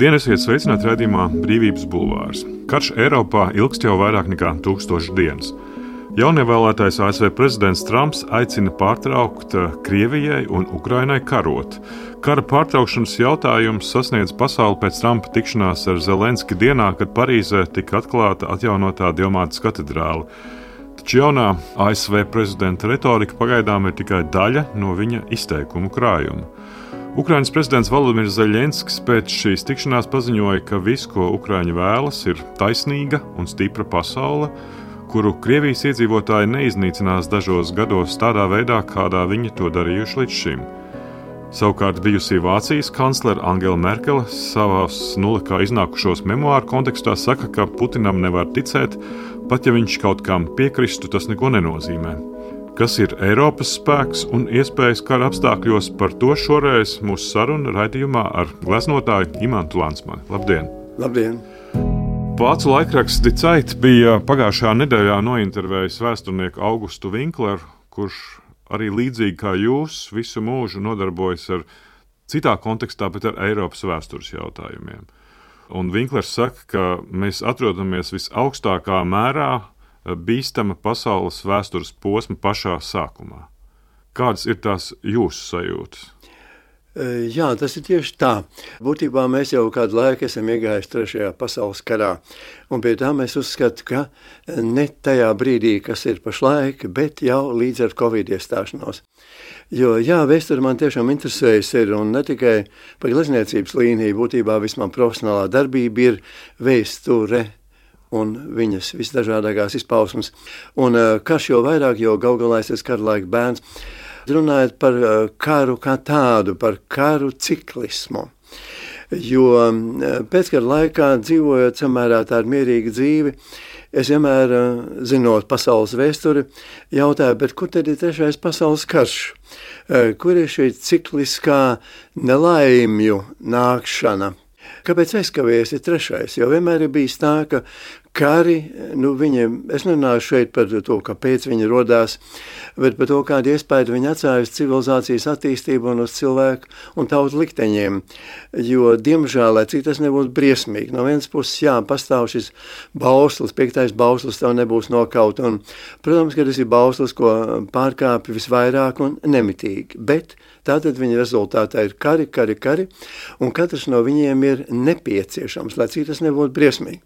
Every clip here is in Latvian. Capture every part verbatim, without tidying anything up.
Labdien, esiet sveicināti raidījumā Brīvības bulvārs. Karš Eiropā ilgst jau vairāk nekā tūkstošas dienas. Jaunievēlētais A S V prezidents Trumps aicina pārtraukt Krievijai un Ukrainai karot. Kara pārtraukšanas jautājums sasniedz pasauli pēc Trumpa tikšanās ar Zelenski dienā, kad Parīzē tika atklāta atjaunotā Dievmātes katedrāle. Taču jaunā A S V prezidenta retorika pagaidām ir tikai daļa no viņa izteikumu krājuma. Ukrainas prezidents Volodimirs Zeļenskis pēc šīs tikšanās paziņoja, ka viss, ko Ukraiņi vēlas, ir taisnīga un stipra pasaule, kuru Krievijas iedzīvotāji neiznīcinās dažos gados tādā veidā, kādā viņi to darījuši līdz šim. Savukārt bijusī Vācijas kanclere Angela Merkele savās nulikā iznākušos memoāru kontekstā saka, ka Putinam nevar ticēt, pat ja viņš kaut kam piekristu, tas neko nenozīmē. Kas ir Eiropas spēks un iespējas kara apstākļos, par to šoreiz mūsu saruna raidījumā ar gleznotāju Imantu Lansmani. Labdien! Labdien! Vācu laikraksts Die Zeit bija pagājušajā nedēļā nointervējis vēsturnieku Augustu Winkleru, kurš arī līdzīgi kā jūs visu mūžu nodarbojas ar citā kontekstā, bet ar Eiropas vēstures jautājumiem. Un Winklers saka, ka mēs atrodamies visaugstākā mērā bīstama pasaules vēstures posma pašā sākumā. Kādas ir tās jūsu sajūtas? Jā, tas ir tieši tā. Būtībā mēs jau kādu laiku esam iegājuši trešajā pasaules karā. Un pie tā mēs uzskatām, ka ne tajā brīdī, kas ir pašlaik, bet jau līdz ar Covid iestāšanos. Jo, jā, vēsture man tiešām interesējas ir, un ne tikai par glezniecības līniju, būtībā vismaz profesionālā darbība ir vēsture un viņas visdažādākās izpausmes. Un karš jau vairāk, jo gal galā es esmu kara laika bērns, runājot par karu kā tādu, par karu ciklismu. Jo pēckara laikā, dzīvojot samērā tādu mierīgu dzīvi, es vienmēr, zinot pasaules vēsturi, jautāju, bet kur tad ir trešais pasaules karš? Kur ir šī cikliskā nelaimju nākšana? Kāpēc aizkavējies ir trešais? Jo vienmēr ir bijis tā, ka kari, nu viņiem, es nerunāju šeit par to, kāpēc viņi rodās, bet par to, kādu iespēju viņi atstāja uz civilizācijas attīstību un uz cilvēku un tautu likteņiem. Jo, diemžēl, lai cik tas nebūtu briesmīgi, no vienas puses, jā, pastāv šis bauslis, piektais bauslis tev nebūs nokaut, un, protams, ka tas ir bauslis, ko pārkāpj visvairāk un nemitīgi, bet tātad viņa rezultātā ir kari, kari, kari, un katrs no viņiem ir nepieciešams, lai cik tas nebūtu briesmīgi.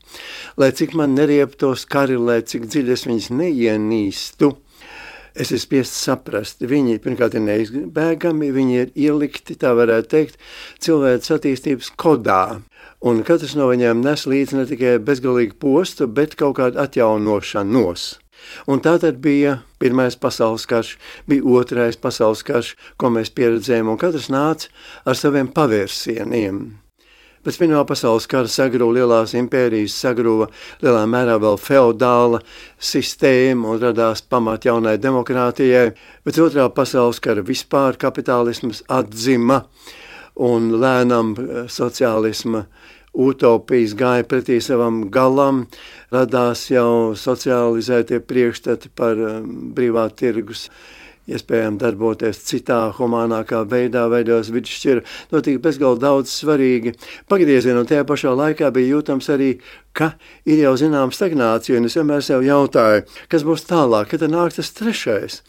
Lai cik man nerieptos kari, lai cik dziļi es viņus neienīstu, es esmu spiests saprast. Viņi, pirmkārt, ir neizbēgami, viņi ir ielikti, tā varētu teikt, cilvēks attīstības kodā. Un katrs no viņiem nes līdzi ne tikai bezgalīgu postu, bet kaut kādu atjaunošanos. Un tātad bija pirmais pasaules karš, bija otrais pasaules karš, ko mēs pieredzējām, un katrs nāca ar saviem pavērsieniem. Pēc pirmā pasaules kara sagrūva lielās impērijas, sagrūva lielā mērā vēl feodāla sistēma un radās pamat jaunai demokrātijai. Pēc otrā pasaules kara vispār kapitālisms atzima un lēnām sociālisma utopijas gāja pretī savam galam, radās jau socializētie priekšstati par brīvā tirgus iespējām darboties citā, humānākā veidā, veidos vidusšķira. Notika bezgalīgi daudz svarīgi pagriezieni, un tajā pašā laikā bija jūtams arī, ka ir jau zinām stagnācija, un es vienmēr sev jautāju, kas būs tālāk, kad nāk tas trešais.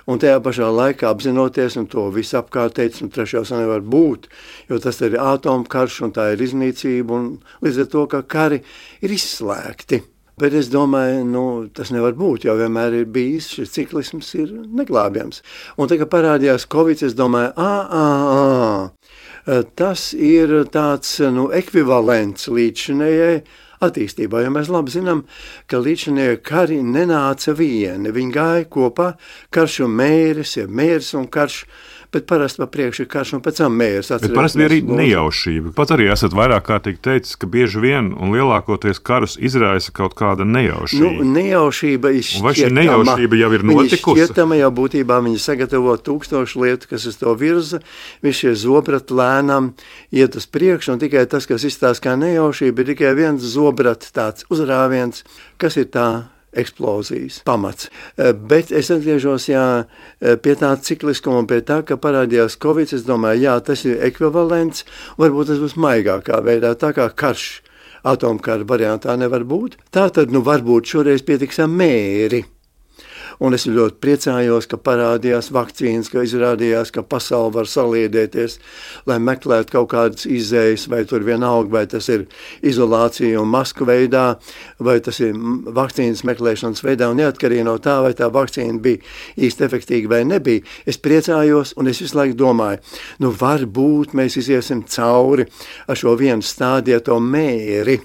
Un tajā pašā laikā apzinoties, un to visu apkārt teica, un trešais nevar būt, jo tas ir atomkarš, un tā ir iznīcība, un līdz ar to, ka kari ir izslēgti. Bet es domāju, nu, tas nevar būt, jo vienmēr ir bijis, šis ciklisms ir neglābjams. Un tagad parādījās Covid, es domāju, ā, ā, ā, tas ir tāds, nu, ekvivalents līdzinējai attīstībā, jo mēs labi zinām, ka līdzinējie kari nenāca vieni, viņi gāja kopā, karš un mēris, ja mēris un karš, bet parasti pa priekšu ir karš un pēc tam mērs. Bet parasti bija arī nejaušība. Pat arī esat vairāk kārtīgi teicis, ka bieži vien un lielākoties karus izraisa kaut kāda nejaušība. Nu, nejaušība ir šķietama. Vai šī nejaušība jau ir notikusi? Viņa šķietama jau būtībā, viņa sagatavo tūkstošu lietu, kas uz to virza, visi šie zobrati lēnām iet uz priekšu, un tikai tas, kas izstās kā nejaušība, ir tikai viens zobrati tāds uzrāviens, kas ir tā eksplozijas pamats. Bet es atgriežos jā, pie tā cikliskuma un pie tā, ka parādījās Covid. Es domāju, jā, tas ir ekvivalents, varbūt tas būs maigākā veidā, tā kā karš atomkara variantā nevar būt. Tā tad, nu, varbūt šoreiz pietiks ar mēri. Un es ļoti priecājos, ka parādījās vakcīnas, ka izrādījās, ka pasaule var saliedēties, lai meklētu kaut kādas izējas, vai tur vienalga, vai tas ir izolācija un masku veidā, vai tas ir vakcīnas meklēšanas veidā, un neatkarīgi no tā, vai tā vakcīna bija īsti efektīva vai nebija. Es priecājos, un es visu laiku domāju, nu varbūt mēs iziesim cauri ar šo vienu stādieto mēri.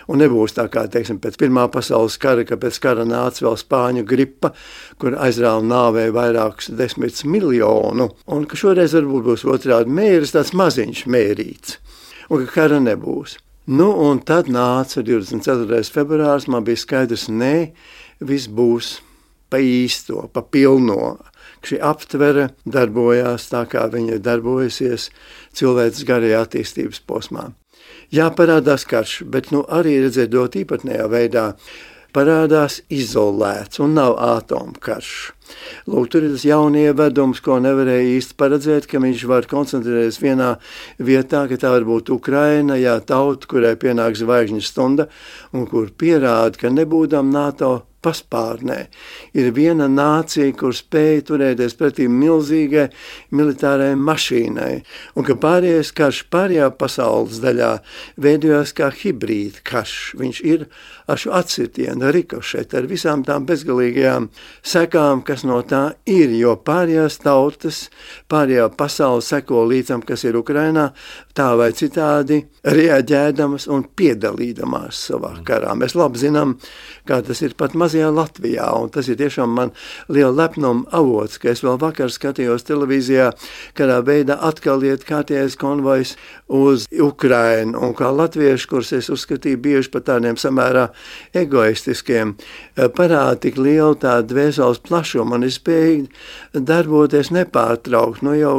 Un nebūs tā kā, teiksim, pēc Pirmā pasaules kara, ka pēc kara nāca vēl spāņu gripa, kur aizrāva nāvēja vairākus desmit miljonu, un ka šoreiz varbūt būs otrādi mēris, tāds maziņš mērīts, un ka kara nebūs. Nu, un tad nāca divdesmit ceturtais februārs, man bija skaidrs, nē, viss būs pa īsto, pa pilno. Šī aptvere darbojās tā, kā viņa darbojusies cilvēks garajā attīstības posmā. Jā, parādās karš, bet nu, arī redzēt ļoti īpatnējā veidā parādās izolēts un nav atomkarš. Lūk, tur ir tas jaunievedums, ko nevarēja īsti paredzēt, ka viņš var koncentrēties vienā vietā, ka tā var būt Ukraina, jā, tauta, kurai pienāk zvaigžņu stunda un kur pierāda, ka nebūdam NATO paspārnē. Ir viena nācija, kur spēja turēties pretī milzīgai militārai mašīnai, un ka pārējais karš pārējā pasaules daļā veidojās kā hibrīda karš. Viņš ir ar šo atsitienu, ar rikošetu, ar visām tām bezgalīgajām sekām, kas no tā ir, jo pārējās tautas, pārējā pasaule seko līdzam, kas ir Ukrainā, tā vai citādi reaģēdamas un piedalīdamās savā karā. Mēs labi zinām, kā tas ir pat mazajā Latvijā, un tas ir tiešām man liela lepnuma avots, ka es vēl vakar skatījos televīzijā, kādā veidā atkal iet kārtējais konvojs uz Ukrainu, un kā latvieši, kurus es uzskatīju bieži par tādiem samērā egoistiskiem, parāda tik lielu tādu dvēseles plašumu, un es spēju darboties nepārtraukt, nu jau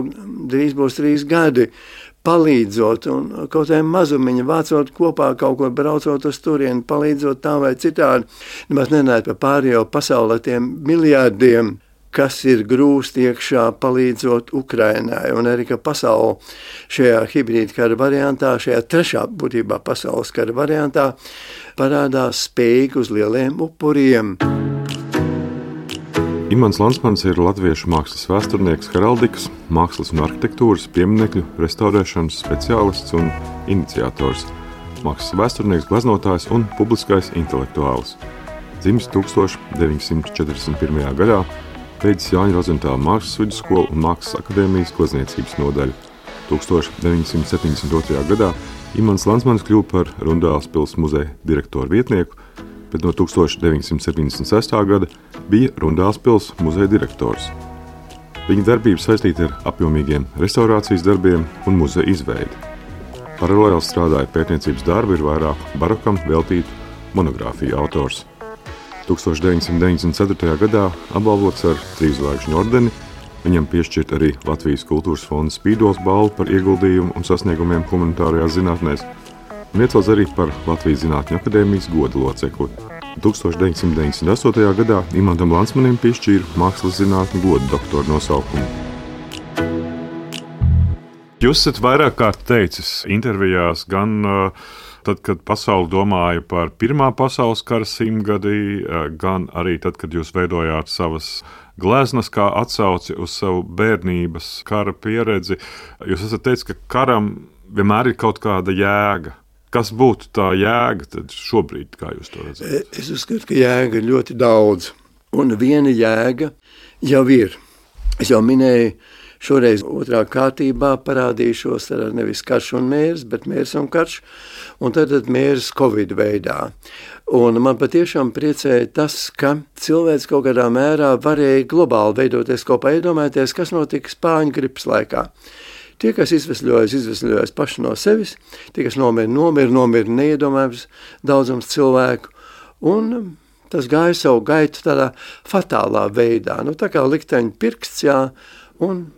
drīz būs trīs gadi, palīdzot un kaut kādā mazumiņa vācot kopā, kaut ko braucot uz turieni, palīdzot tā vai citādi. Nemaz nenājot par pārējo pasaulē tiem miljārdiem, kas ir grūsti iekšā palīdzot Ukrainai. Un arī, ka pasaule šajā hibrīda kara variantā, šajā trešā būtībā pasaules kara variantā, parādās spējīgi uz lieliem upuriem. Imants Landsmans ir latviešu mākslas vēsturnieks, heraldikas, mākslas un arhitektūras, pieminekļu, restaurēšanas speciālists un iniciators, mākslas vēsturnieks, gleznotājs un publiskais intelektuālis. Dzimis tūkstoš deviņsimt četrdesmit pirmajā gadā, beidzis Jāņa Rozentāla mākslas vidusskolu un Mākslas akadēmijas glezniecības nodaļu. tūkstoš deviņsimt septiņdesmit otrajā gadā Imants Landsmans kļuva par Rundāles pils muzeja direktoru vietnieku, bet no tūkstoš deviņsimt septiņdesmit sestā gada bija Rundāles pils muzeja direktors. Viņa darbība saistīta ar apjomīgiem restaurācijas darbiem un muzeja izveidi. Paralēli strādāja pētniecības darbu, ir vairāk barokam veltītu monogrāfiju autors. tūkstoš deviņsimt deviņdesmit ceturtajā gadā apbalvots ar trīszvaigžņu ordeni, viņam piešķirt arī Latvijas kultūras fonda Spīdols balvu par ieguldījumu un sasniegumiem humanitārajās zinātnēs, un iecelts arī par Latvijas Zinātņu akadēmijas goda locekli. tūkstoš deviņsimt deviņdesmit astotajā gadā Imantam Landsmanim piešķīra mākslas zinātņu goda doktora nosaukumu. Jūs esat vairāk kārt teicis intervijās, gan uh, tad, kad pasaule domāja par Pirmā pasaules kara simtgadi, uh, gan arī tad, kad jūs veidojāt savas gleznas kā atsauci uz savu bērnības kara pieredzi. Jūs esat teicis, ka karam vienmēr ir kaut kāda jēga. Kas būtu tā jēga tad šobrīd, kā jūs to redzat? Es uzskatu, ka jēga ir ļoti daudz, un viena jēga jau ir. Es jau minēju, šoreiz otrā kārtībā parādīšos ar nevis karš un mērs, bet mērs un karš, un tad mērs Covid veidā. Un man patiešām priecēja tas, ka cilvēks kaut kādā mērā varēja globāli veidoties kopā, iedomāties, kas notika spāņu gripas laikā. Tie, kas izvesļojas, izvesļojas paši no sevis, tie, kas nomira, nomira, nomira neiedomājams daudzums cilvēku, un tas gāja savu gaitu tādā fatālā veidā, nu tā kā likteņa pirksts, jā, un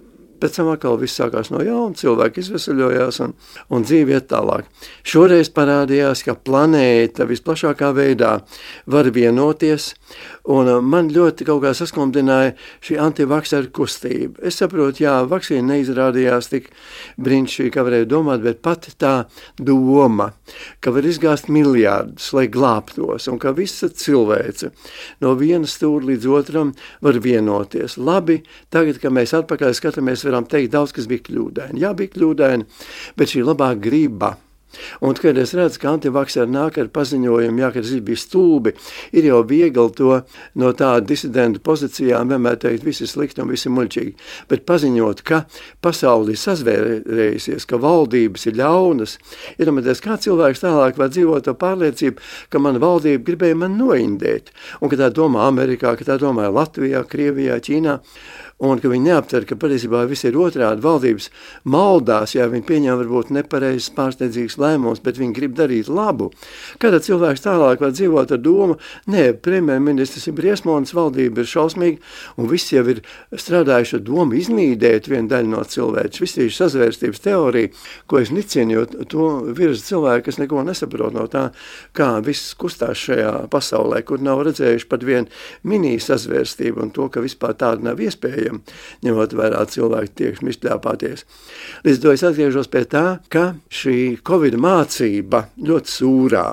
pēc tam atkal viss sākās no jauna, cilvēki izveseļojās un, un dzīve iet tālāk. Šoreiz parādījās, ka planēta visplašākā veidā var vienoties, un man ļoti kaut kā saskumdināja šī antivakseru kustība. Es saprotu, jā, vakcīna neizrādījās tik brīnišķīgi, kā varēja domāt, bet pati tā doma, ka var izgāzt miljārdus, lai glābtos, un ka visa cilvēce no viena stūra līdz otram var vienoties. Labi, tagad, kad mēs atpakaļ skatāmies, varam teikt, daudz kas bija kļūdaini. Jā, bija kļūdaini, bet šī labā griba. Un, kad es redzu, ka antivakseri nāk ar paziņojumu, jā, ka tas bija stulbi, ir jau viegli to no tāda disidentu pozīcijām vienmēr teikt, visi slikti un visi muļķīgi. Bet paziņot, ka pasauli ir sazvērējusies, ka valdības ir ļaunas, iedomājieties, kā cilvēks tālāk var dzīvot to pārliecību, ka man valdība gribēja man noindēt. Un, ka tā domā Amerikā, ka tā domā Latvijā, Krievijā, Ķīnā, un ka viņi neaptver, ka patiesībā viss ir otrādi, valdības maldās, ja viņi pieņem varbūt nepareizes pārsteidzīgas lēmumus, bet viņi grib darīt labu. Kādā cilvēks tālāk var dzīvot ar domu, nē, premjerministrs ir briesmonis, valdība ir šausmīga, un viss jau ir strādājuši ar domu iznīdēt vienu daļu no cilvēks. Viss ir sazvērstības teorija, ko es nicinu, jo to virza cilvēki, kas neko nesaprot no tā, kā viss kustās šajā pasaulē, kur nav redzējuši pat vienu mini sazvērstību un to, ka vispār tāda nav iespējama, ņemot vērā cilvēku tiekšņi izšļāpāties. Līdz to es atgriežos pie tā, ka šī Covid mācība ļoti sūrā,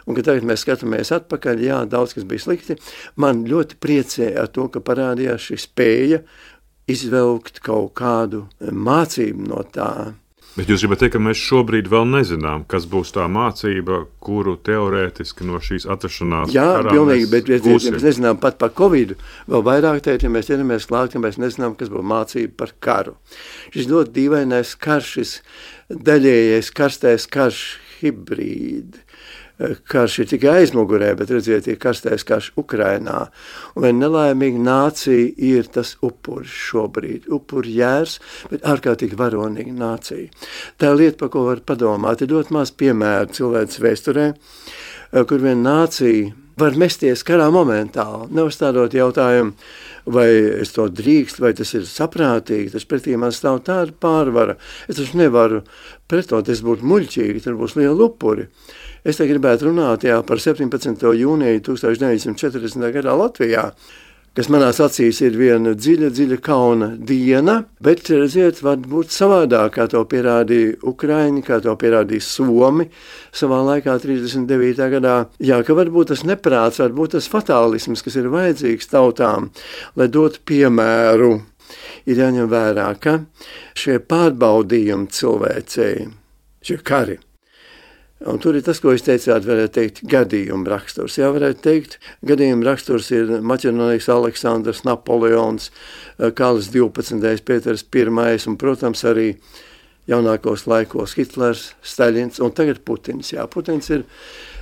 un ka tagad mēs skatāmies atpakaļ, jā, daudz kas bija slikti, man ļoti priecēja ar to, ka parādījās šī spēja izvelkt kaut kādu mācību no tā. Bet jūs gribat teikt, ka mēs šobrīd vēl nezinām, kas būs tā mācība, kuru teorētiski no šīs atrašanās Jā, karā pilnīgi, mēs bet mēs, gūsim. mēs nezinām pat par Covidu. Vēl vairāk teikt, ja mēs ķeramies klāt, ka mēs nezinām, kas būs mācība par karu. Šis ļoti dīvainais karš, šis daļējais karstais karš, hibrīdi. Karš ir tikai aizmugurē, bet redziet, ir karstais karš Ukrainā. Un vien nelaimīga nācija ir tas upuris šobrīd. Upuri jērs, bet ārkārtīgi varonīga nācija. Tā ir lieta, par ko var padomāt. Ir ļoti maz piemēru cilvēces vēsturē, kur vien nācija var mesties karā momentāli, neuzstādot jautājumu, vai es to drīkst, vai tas ir saprātīgi, tas pretī man stāv tāda pārvara. Es taču nevaru pretot, es būtu muļķīgi, tad būs liela upuri. Es te gribētu runāt jā, par septiņpadsmitā jūnija tūkstoš deviņsimt četrdesmitajā gadā Latvijā, kas manās acīs ir viena dziļa, dziļa kauna diena, bet, redziet, var būt savādāk, kā to pierādīja Ukraiņi, kā to pierādīja Somi savā laikā trīsdesmit devītajā gadā. Jā, ka varbūt tas neprāts, varbūt tas fatālisms, kas ir vajadzīgs tautām, lai dotu piemēru, ir jāņem vērā, ka šie pārbaudījumi cilvēcei, šie kari, un tur ir tas, ko es teicāt, varētu teikt, gadījuma raksturs. Jā, varētu teikt, gadījuma raksturs ir Maķedonijas Aleksandrs, Napoleons, Karls divpadsmitais, Pēters pirmais un, protams, arī jaunākos laikos Hitlers, Staļins un tagad Putins. Jā, Putins ir,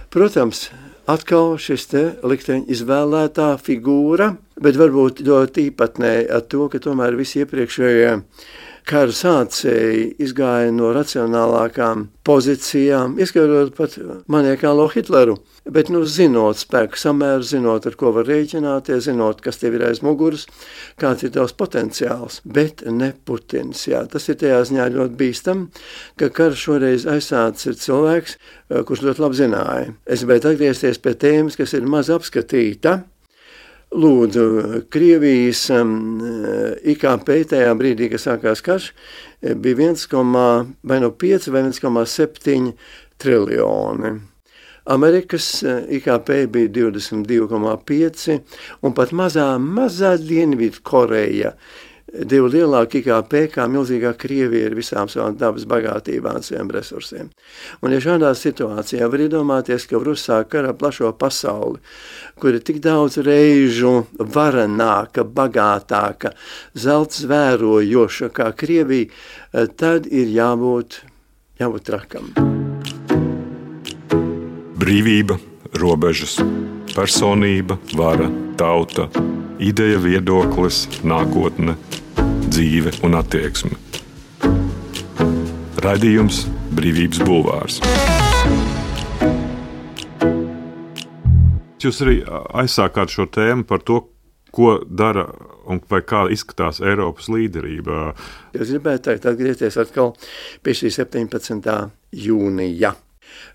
protams, atkal šis te likteņa izvēlētā figūra, bet varbūt ļoti īpatnēji ar to, ka tomēr visi iepriekšējie kara sācēji izgāja no racionālākām pozīcijām, ieskatot pat maniekālo Hitleru, bet, nu, zinot spēku samēru, zinot, ar ko var rēķināties, zinot, kas tev ir aiz muguras, kāds ir tavs potenciāls, bet ne Putins, jā. Tas ir tajā ziņā ļoti bīstam, ka karš šoreiz aizsācis ir cilvēks, kurš ļoti labi zināja. Es gribētu atgriezties pie tēmas, kas ir maz apskatīta. Lūdzu, Krievijas um, I K P tajā brīdī, kad sākās karš, bija viens komats pieci vai viens komats septiņi triljoni. Amerikas I K P bija divdesmit divi komats pieci un pat mazā, mazā Dienvidu Koreja divu lielāku I K P kā milzīgā Krievija ir visām savām dabas bagātībām, saviem resursiem. Un ja šādā situācijā var iedomāties, ka var uzsākt karā plašo pasauli, kur ir tik daudz reižu varenāka, bagātāka, zelts vērojoša kā Krievija, tad ir jābūt, jābūt trakam. Brīvība, robežas, personība, vara, tauta, ideja, viedoklis, nākotne, dzīve un attieksme. Raidījums Brīvības bulvārs. Jūs arī aizsākāt šo tēmu par to, Ko dara un vai kā izskatās Eiropas līderība? Es gribētu teikt, atgriezties atkal pie šī septiņpadsmitā jūnija,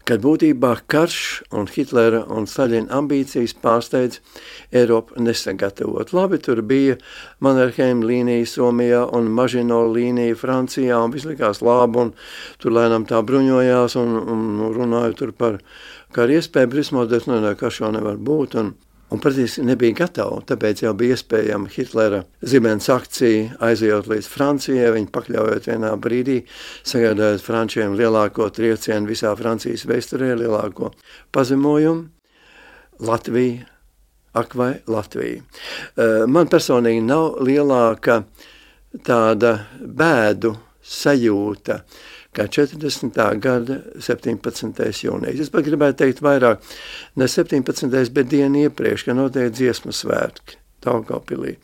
kad būtībā karš un Hitlera un Staļina ambīcijas pārsteidz Eiropu nesagatavot. Labi, tur bija Mannerheim līnija Somijā un Mažino līnija Francijā, un viss likās labi, un tur lēnām tā bruņojās un, un runāja tur par karu iespēju, Brismoders, nu, ne, karš jau nevar būt, un Un praktiski nebija gatava, tāpēc jau bija iespējama Hitlera zibens akcija, aizejot līdz Francijai, viņi pakļaujot vienā brīdī, sagādājot frančiem lielāko triecienu visā Francijas vēsturē, lielāko pazemojumu. Latvija, ak vai Latvija. Man personīgi nav lielāka tāda bēdu sajūta, kā četrdesmitā gada septiņpadsmitais jūnijas. Es pat gribētu teikt vairāk, ne septiņpadsmitais, bet dienu iepriekš, ka notiek dziesmu svētki Daugavpilī.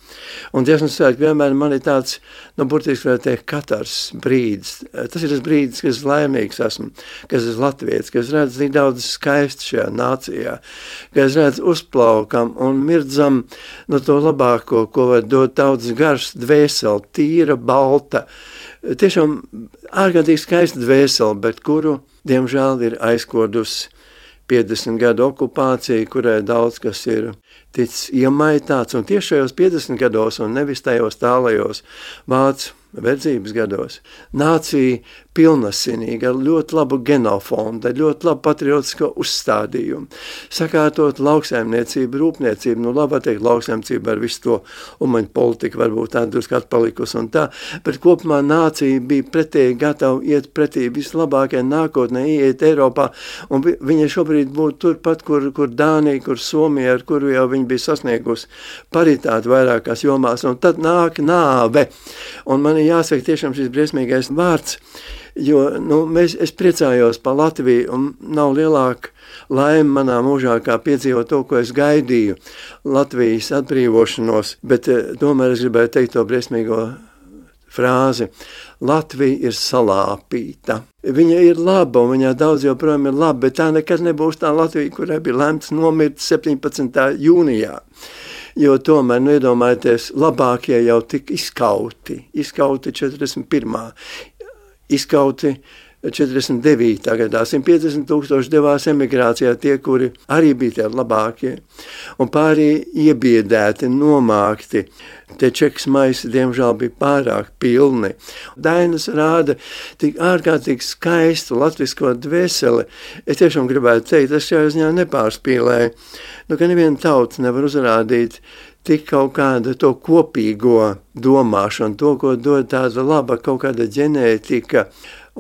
Un dziesmu svētki vienmēr man ir tāds, nu, burtiski varētu teikt, katrs brīdis. Tas ir tas brīdis, kas laimīgs esmu, kas esmu latvietis, kas redz tik daudz skaisti šajā nācijā, kas redz uzplaukam un mirdzam no to labāko, ko var dot tautas garš, dvēseli, tīra, balta, tiešām ārkārtīgi skaista dvēseli, bet kuru, diemžēl, ir aizkodusi piecdesmit gadu okupācija, kurai daudz kas ir ticis iemaitāts, un tieši šajos piecdesmit gados, un nevis tajos tālajos vācu verdzības gados, nācija pilnasinīga, ar ļoti labu genofondu, ar ļoti labu patriotisko uzstādījumu, sakārtot lauksaimniecību, rūpniecību, nu labi teikt lauksaimniecību ar visu to umaņu politiku, varbūt tā drusku atpalikusi un tā, bet kopumā nācija bija pretēji gatava iet pretī vislabākajai nākotnē, iet Eiropā, un vi, viņa šobrīd būtu turpat, kur, kur Dānija, kur Somija, ar kuru jau viņa bija sasniegusi paritāti vairākās jomās, un tad nāk nāve, un man ir jāsaka tiešām šis briesmīgais vārds, jo nu, mēs, es priecājos par Latviju, un nav lielāka laime manā mūžā, kā piedzīvot to, ko es gaidīju, Latvijas atbrīvošanos, bet tomēr es gribēju teikt to briesmīgo frāzi. Latvija ir salāpīta. Viņa ir laba, un viņā daudz joprojām ir laba, bet tā nekad nebūs tā Latvija, kurai bija lemts nomirt septiņpadsmitā jūnijā. Jo tomēr, nu, iedomājieties, labākie jau tik izskauti, izskauti četrdesmit pirmā, izskauti četrdesmit devītā gadā, simt piecdesmit tūkstoši devās emigrācijā, tie, kuri arī bija tie labākie, un pārī iebiedēti, nomākti, tie čekas maisi, diemžēl, bija pārāk pilni. Dainas rāda tik ārkārtīgi skaistu latvisko dvēseli, es tiešām gribētu teikt, es šajā ziņā nepārspīlēju, nu, ka neviena tauta nevar uzrādīt tik kaut kāda to kopīgo domāšanu, to, ko dod tāda laba kaut kāda ģenētika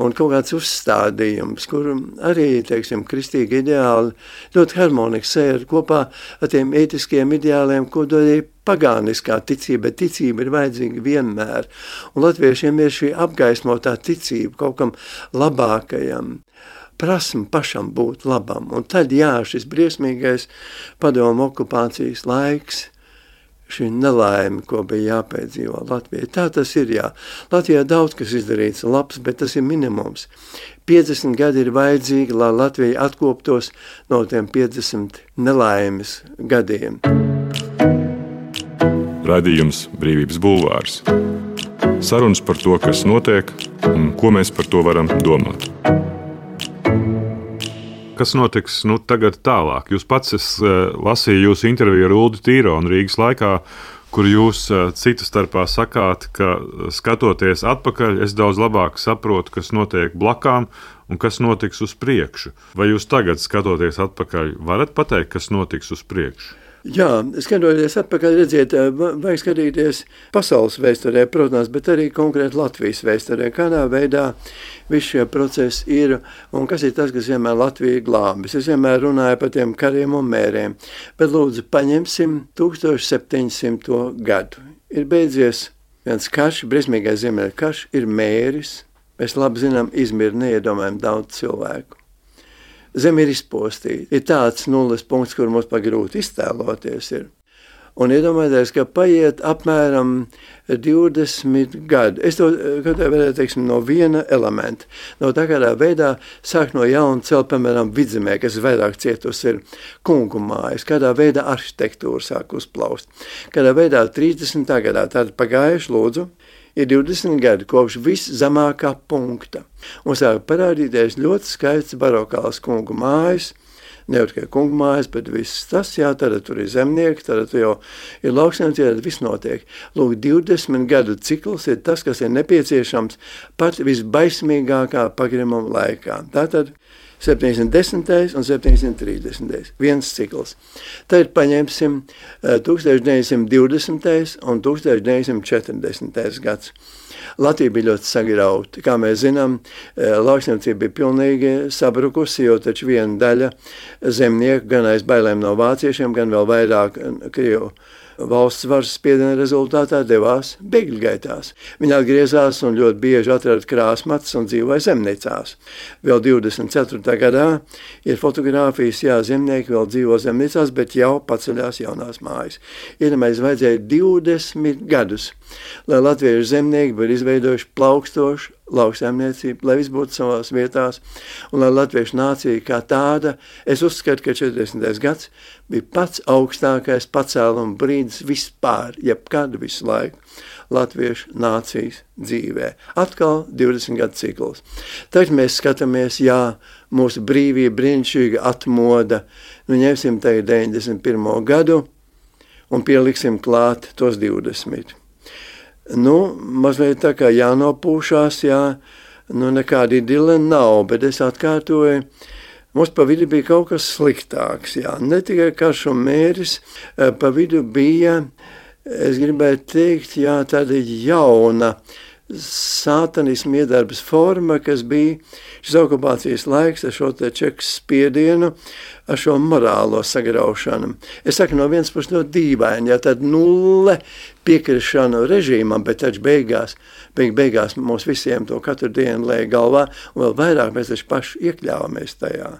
un kaut kāds uzstādījums, kur arī, teiksim, kristīgi ideāli ļoti harmoniski sēr kopā ar tiem ētiskiem ideāliem, ko dod arī pagāniskā ticība, bet ticība ir vajadzīga vienmēr. Un latviešiem ir šī apgaismotā ticība kaut kam labākajam, prasme pašam būt labam. Un tad, jā, šis briesmīgais padomu okupācijas laiks, šī nelaime, ko bija jāpiedzīvo Latvijai. Tā tas ir, jā. Latvijā daudz kas izdarīts labs, bet tas ir minimums. piecdesmit gadi ir vajadzīgi, lai Latvija atkoptos no tiem piecdesmit nelaimes gadiem. Raidījums Brīvības bulvārs. Sarunas par to, kas notiek un ko mēs par to varam domāt. Kas notiks nu, tagad tālāk? Jūs pats es, uh, lasīju jūsu interviju ar Uldi Tīronu Rīgas laikā, kur jūs uh, citu starpā sakāt, ka skatoties atpakaļ, es daudz labāk saprotu, kas notiek blakām un kas notiks uz priekšu. Vai jūs tagad, skatoties atpakaļ, varat pateikt, kas notiks uz priekšu? Jā, skatoties atpakaļ, redziet, vajag skatīties pasaules vēsturē, protams, bet arī konkrēti Latvijas vēsturē, kādā veidā visi šie procesi ir un kas ir tas, kas vienmēr Latviju glābis. Es vienmēr runāju par tiem kariem un mēriem, bet lūdzu paņemsim tūkstoš septiņsimto gadu. Ir beidzies viens karš, briesmīgais Ziemeļu karš, ir mēris, mēs labi zinām, izmir neiedomājam daudz cilvēku. Zeme ir izpostīta. Ir tāds nulles punkts, kur mums pagrūti iztēloties ir. Un iedomājieties, ka paiet apmēram divdesmit gadi. Es to varētu teiksim, no viena elementa. No tā kādā veidā sāk no jauna celt, piemēram, Vidzemē, kas vairāk cietus ir kungu mājas, kādā veidā arhitektūra sāk uzplaust. Kādā veidā trīsdesmitā gadā, tāda pagājuši lūdzu, ir divdesmit gadi kopš viszemākā punkta. Un sāk parādīties ļoti skaists barokāls kungu mājas, ne jau tikai kungu mājas, bet viss tas, jā, tad tur ir zemnieki, tad tur jau ir lauksaimniecība, tad viss notiek. Lūk, divdesmit gadu cikls ir tas, kas ir nepieciešams pat visbaismīgākā pagrimuma laikā. Tātad septiņsimt desmitais un septiņsimt trīsdesmitais viens cikls. Tad paņemsim tūkstoš deviņsimt divdesmitais un tūkstoš deviņsimt četrdesmitais gads. Latvija bija ļoti sagrauta. Kā mēs zinām, lauksaimniecība bija pilnīgi sabrukusi, jo taču viena daļa zemnieku gan aiz bailēm no vāciešiem, gan vēl vairāk Krievu valsts varas spiediena rezultātā devās bēgļu gaitās. Viņi atgriezās un ļoti bieži atrada krāsmatas un dzīvoja zemniecās. Vēl divdesmit ceturtajā gadā ir fotogrāfijas, jā, zemnieki vēl dzīvo zemniecās, bet jau paceļās jaunās mājas. Iedomājieties, vajadzēja divdesmit gadus, lai latviešu zemnieki būtu izveidojuši plaukstošu lauksaimniecību, lai viss būtu savās vietās, un lai latviešu nācija kā tāda, es uzskatu, ka četrdesmitais gads bija pats augstākais pacēluma brīdis vispār, jebkad visu laiku latviešu nācijas dzīvē. Atkal divdesmit gadu cikls. Tagad mēs skatāmies, jā, mūsu brīvība brīnišķīga atmoda, nu ņemsim tagad deviņdesmit pirmo gadu un pieliksim klāt tos divdesmit. Nu, mazliet tā kā jānopūšās, jā, nu nekāda idile nav, bet es atkārtoju, mums pa vidu bija kaut kas sliktāks, jā, ne tikai karš un mēris, pa vidu bija, es gribētu teikt, jā, tāda jauna sātanismu iedarbas forma, kas bija šis okupācijas laiks ar šo te čekas spiedienu, ar šo morālo sagraušanu. Es saku no vienas puses ļoti dīvaini, ja tad nulle piekrišanu režīmam, bet taču beigās, beig, beigās mums visiem to katru dienu lēja galvā, un vēl vairāk mēs taču paši iekļāvamies tajā.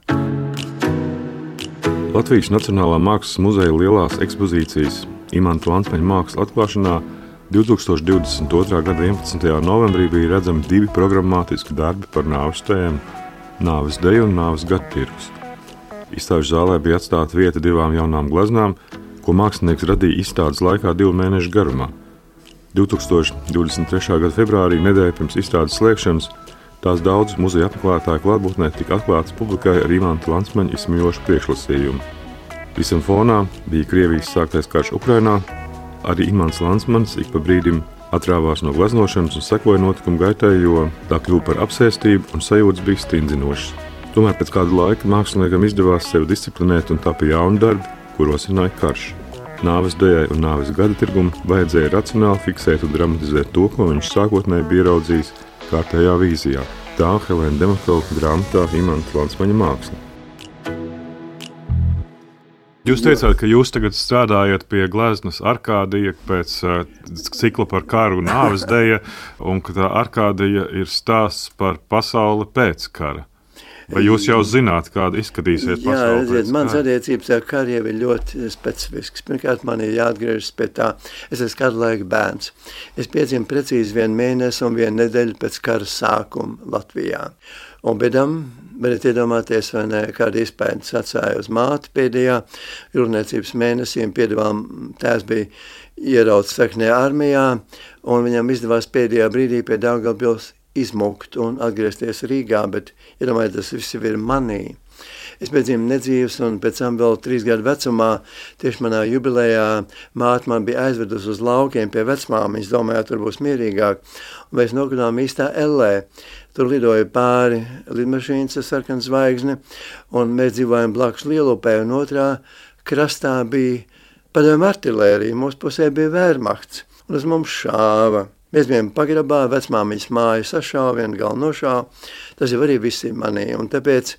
Latvijas Nacionālā mākslas muzeja lielās ekspozīcijas Imanta Lansmaņa mākslas atklāšanā divtūkstoš divdesmit otrā gada vienpadsmitajā novembrī bija redzami divi programmātiski darbi par nāves tēmu – nāves deju un nāves gadu tirgus. Izstāžu zālē bija atstāta vieta divām jaunām gleznām, ko mākslinieks radīja izstādes laikā divu mēnešu garumā. divtūkstoš divdesmit trešā gada februārī, nedēļa pirms izstādes slēgšanas, tās daudz muzeja apmeklētāju klātbūtnē tika atklātas publikai ar Imanta Lansmaņa izsmejošu priekšlasījumu. Visam fonā bija Krievijas sāktais karš Ukrainā. Arī Imants Lansmanis ik pa brīdim atrāvās no gleznošanas un sekoja notikumu gaitai, jo tā kļuva par apsēstību un sajūtas bija stindzinošas. Tomēr pēc kāda laika māksliniekam izdevās sevi disciplinēt un tapa jauni darbi, kuros rosināja karš. Nāves dejai un nāves gada tirgumu vajadzēja racionāli fiksēt un dramatizēt to, ko viņš sākotnēji bija ieraudzījis kārtējā vīzijā. Tā Helēna Dematova grāmatā Imanta Lansmaņa māksla. Jūs teicāt, ka jūs tagad strādājat pie gleznas Arkādija pēc uh, cikla par karu un nāves deja, un ka tā Arkādija ir stāsts par pasauli pēc kara. Vai jūs jau zināt, kāda izskatīsies pasaule? Jā, redziet, mans attiecības ar karu jau ir ļoti specifisks. Pirmkārt, man ir jāatgriežas pie tā. Es esmu kādu laiku bērns. Es piedzimu precīzi vienu mēnesi un vienu nedēļu pēc kara sākuma Latvijā. Un bedam, bet iedomāties, vai ne, kāda izpējas atsāja uz māti pēdējā jūrniecības mēnesī, un piedevām tēvs bija ierauts saknē armijā, un viņam izdevās pēdējā brīdī pie Daugavpils izmukt un atgriezties Rīgā, bet iedomājies, tas viss ir manī. Es piedzimu nedzīvs, un pēc tam vēl trīs gadu vecumā, tieši manā jubilejā, māte man bija aizvedus uz laukiem pie vecmāmiņas, domāju, tur būs mierīgāk, un mēs nokļuvām īstā ellē. Tur lidoja pāri lidmašīnas ar sarkanu zvaigzni, un mēs dzīvojam blakus Lielupē, un otrā krastā bija padomju artilērija, mūsu pusē bija Wehrmachts, un uz mums šāva. Mēs bijām pagrabā, vecmāmiņas māju sašāva, vienu galu nošāva, tas jau arī viss ir manī, un tāpēc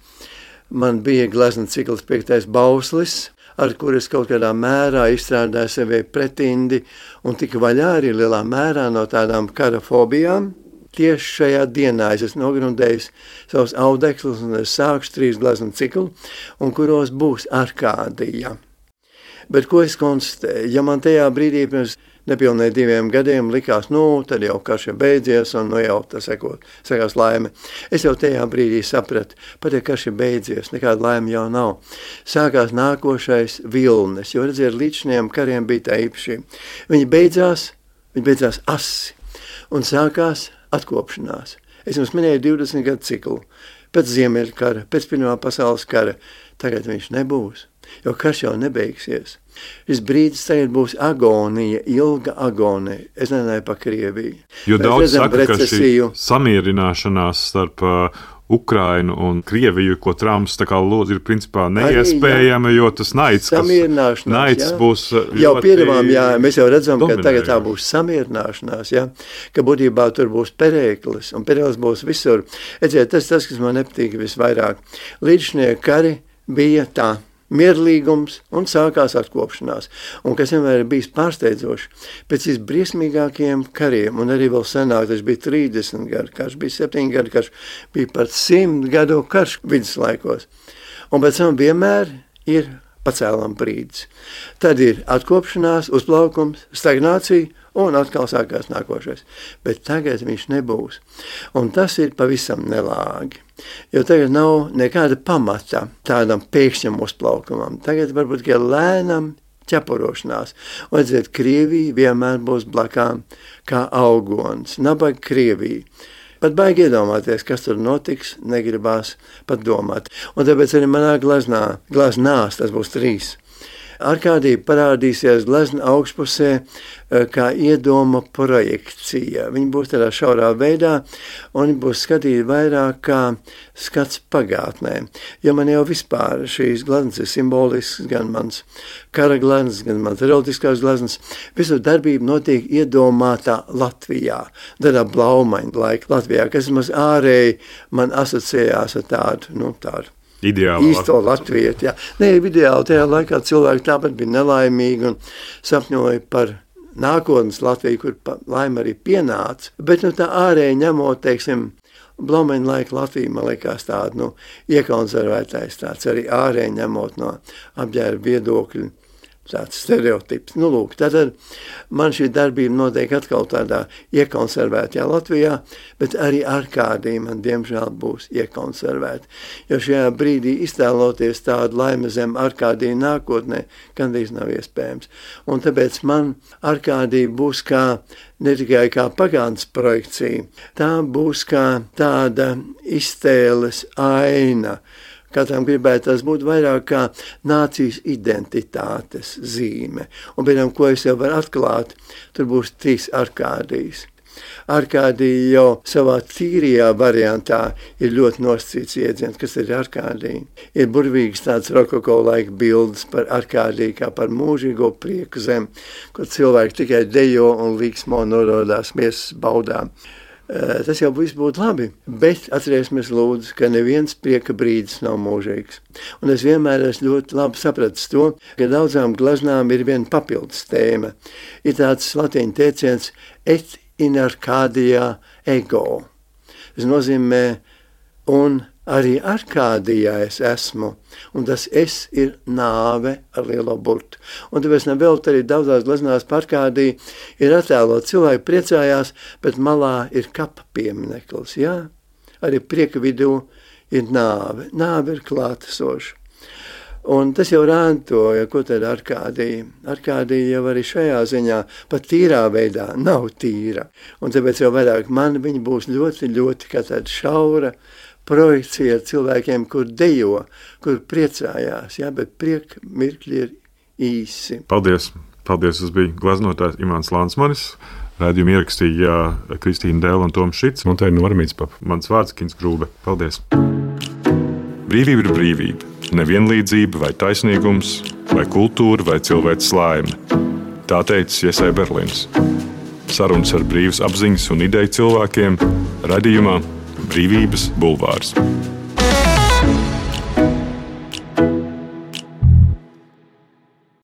man bija glezna cikls piektais bauslis, ar kur es kaut kādā mērā izstrādāju sevi pretindi un tika vaļā arī lielā mērā no tādām kara fobijām. Tieši šajā dienā es esmu nogrundējis savus audekslus un es sākšu trīs gleznu ciklu, un kuros būs Arkādija. Bet ko es konstatēju? Ja man tajā brīdī pirms nepilnīgi diviem gadiem likās, nu, tad jau karš ir beidzies un nu jau tas sekot, sekās laime. Es jau tajā brīdī sapratu, pat ja karš ir beidzies, nekāda laime jau nav. Sākās nākošais vilnis, jo redziet, līdz šiem kariem bija tā īpašība. Viņi beidzās, viņi beidzās asi un sākās atkopšanās. Es jums minēju divdesmit gadu ciklu. Pēc Ziemeļu kara, pēc Pirmā pasaules kara, tagad viņš nebūs, jo karš jau nebeigsies. Šis brīdis tagad būs agonija, ilga agonija. Es nenāju pa Krieviju. Jo Mēs daudz redzam saka, recesiju. ka šī samierināšanās starp uh, Ukrainu un Krieviju, ko Trumps tā kā lūdz, ir principā neiespējama, jo tas naids, kas naids būs ļoti jau piedevām, jā, mēs jau redzam, ka tagad tā dominējoši. būs samierināšanās, jā, ka būtībā tur būs perēklis, un perēklis būs visur. Edziet, tas tas, kas man nepatīk visvairāk. Līdzšanie kari bija tā. Mierlīgums un sākās atkopšanās. Un kas vienmēr ir bijis pārsteidzoši, pēc visbriesmīgākajiem kariem, un arī vēl senāk, tas bija trīsdesmit gadu karš, bija septiņi gadu karš, bija pat simt gadu karš viduslaikos. Un pēc tam vienmēr ir pacēlam brīdis. Tad ir atkopšanās, uzplaukums, stagnācija, un atkal sākās nākošais. Bet tagad viņš nebūs. Un tas ir pavisam nelāgi. Jo tagad nav nekāda pamata tādam pēkšņam uzplaukumam. Tagad varbūt tikai lēnam ķepurošanās. Un, redziet, Krievija vienmēr būs blakām kā augons. Nabaga Krievija. Pat baigi iedomāties, kas tur notiks, negribās pat domāt. Un tāpēc arī manā glaznā, glaznās, tas būs trīs. Arkādija parādīsies glezna augšpusē kā iedoma projekcija. Viņi būs tādā šaurā veidā, un viņi būs skatīti vairāk kā skats pagātnē. Jo man jau vispār šīs gleznas ir simbolisks, gan mans kara gleznas, gan mans erotiskās gleznas. Visu darbību notiek iedomātā Latvijā, tādā blaumaņa laika Latvijā, kas maz ārēji man asociējās ar tādu, nu tādu. Ideāli īsto Latviju. Nē, ideāli tajā laikā cilvēki tāpat bija nelaimīgi un sapņoja par nākotnes Latviju, kur laime arī pienāca. Bet nu, tā ārēji ņemot, teiksim, blaumeņa laika Latvija, man liekas tāda, nu, iekonservētais tāds arī ārēji ņemot no apģērba viedokļu. Tāds stereotips. Nu, lūk, tātad man šī darbība notiek atkal tādā iekonservētajā Latvijā, bet arī Arkādija man, diemžēl, būs iekonservēta. Jo šajā brīdī iztēloties tādu laimi zem Arkādija nākotnē, gandrīz nav iespējams. Un tāpēc man Arkādija būs kā, ne tikai kā pagātnes projekcija, tā būs kā tāda iztēles aina, Katram gribētu tas būt vairāk kā nācijas identitātes zīme. Un pēc tam, ko es jau varu atklāt, tur būs trīs Arkādijas. Arkādija jau savā tīrijā variantā ir ļoti nosacīts iedziens, kas ir Arkādija. Ir burvīgs tāds rokoko laika bildes par Arkādiju kā par mūžīgo prieku zem, kur cilvēki tikai dejo un līksmo norodās miesas baudām. Tas jau viss būtu labi, bet atcerēsimies lūdzu, ka neviens prieka brīdis nav mūžīgs. Un es vienmēr esmu ļoti labi sapratis to, ka daudzām glaznām ir viena papildus tēma. Ir tāds latīņu teiciens et in Arkādijā ego. Tas nozīmē, un arī Arkādijā es esmu, un tas es ir nāve ar lielo burtu. Un tāpēc nevēl arī daudzās glaznās par Arkādiju ir attēlot. Cilvēki priecājās, bet malā ir kapa piemineklis. Jā? Arī prieka vidū ir nāve. Nāve ir klātesoša. Un tas jau rāntoja, ko tad Arkādija. Arkādija jau arī šajā ziņā pat tīrā veidā nav tīra. Un tāpēc jau vairāk man viņa būs ļoti, ļoti kā tāda šaura projekcija ar cilvēkiem, kur dejo, kur priecājās, jā, bet prieka mirkļi ir īsi. Paldies! Paldies! Tas bija glaznotājs Imants Lansmanis. Raidījumu ierakstīja Kristīna Dēla un Toms Šits. Un tā ir Normīts Papa. Mans vārds Kins Grūbe. Paldies! Brīvība ir brīvība. Nevienlīdzība vai taisnīgums, vai kultūra, vai cilvēks laime. Tā teica Iesai Berlīns. Sarunas ar brīvas apziņas un ideju cilvēkiem raidījumā Brīvības bulvārs.